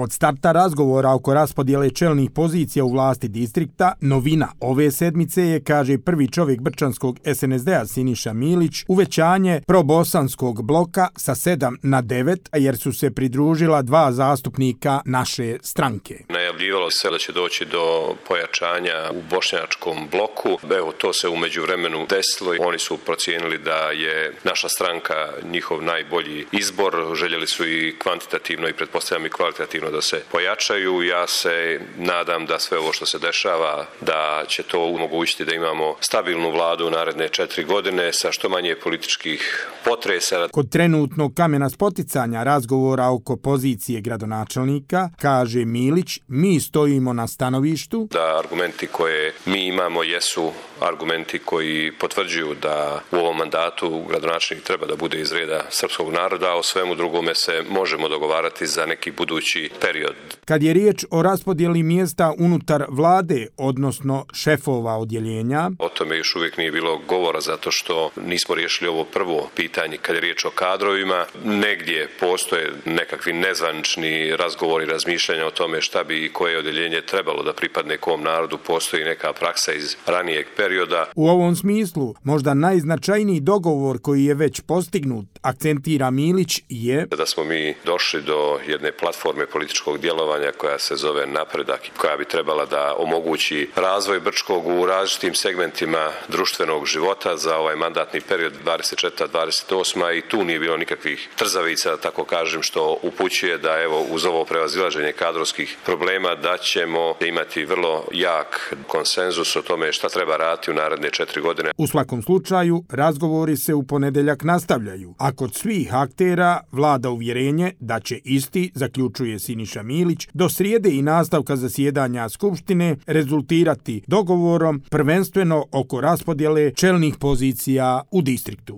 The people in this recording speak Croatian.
Od starta razgovora oko raspodjele čelnih pozicija u vlasti distrikta, novina ove sedmice je, kaže prvi čovjek brčanskog SNSD-a Siniša Milić, uvećanje probosanskog bloka sa 7 na 9, jer su se pridružila 2 zastupnika naše stranke. Najavljivalo se da će doći do pojačanja u bošnjačkom bloku. Evo, to se u međuvremenu desilo. Oni su procijenili da je naša stranka njihov najbolji izbor. Željeli su i kvantitativno i pretpostavljam i kvalitativno da se pojačaju. Ja se nadam da sve ovo što se dešava, da će to omogućiti da imamo stabilnu vladu u naredne 4 godine sa što manje političkih potresa. Kod trenutnog kamena spoticanja razgovora oko pozicije gradonačelnika, kaže Milić, mi stojimo na stanovištu da argumenti koje mi imamo jesu argumenti koji potvrđuju da u ovom mandatu gradonačelnik treba da bude iz reda srpskog naroda, a o svemu drugome se možemo dogovarati za neki budući period. Kad je riječ o raspodjeli mjesta unutar vlade, odnosno šefova odjeljenja, o tome još uvijek nije bilo govora zato što nismo riješili ovo prvo pitanje kad je riječ o kadrovima. Negdje postoje nekakvi nezvanični razgovori, razmišljanja o tome šta bi i koje odjeljenje trebalo da pripadne kom narodu, postoji neka praksa iz ranijeg perioda. U ovom smislu, možda najznačajniji dogovor koji je već postignut, akcentira Milić, je da smo mi došli do jedne platforme političkog djelovanja koja se zove Napredak, koja bi trebala da omogući razvoj Brčkog u različitim segmentima društvenog života za ovaj mandatni period 24-28 i tu nije bilo nikakvih trzavica, tako kažem, što upućuje da evo uz ovo prevazilaženje kadrovskih problema da ćemo imati vrlo jak konsenzus o tome šta treba raditi u naredne 4 godine. U svakom slučaju, razgovori se u ponedjeljak nastavljaju, a kod svih aktera vlada uvjerenje da će isti, zaključuje Siniša Milić, do srijede i nastavka zasjedanja Skupštine rezultirati dogovorom prvenstveno oko raspodjele čelnih pozicija u distriktu.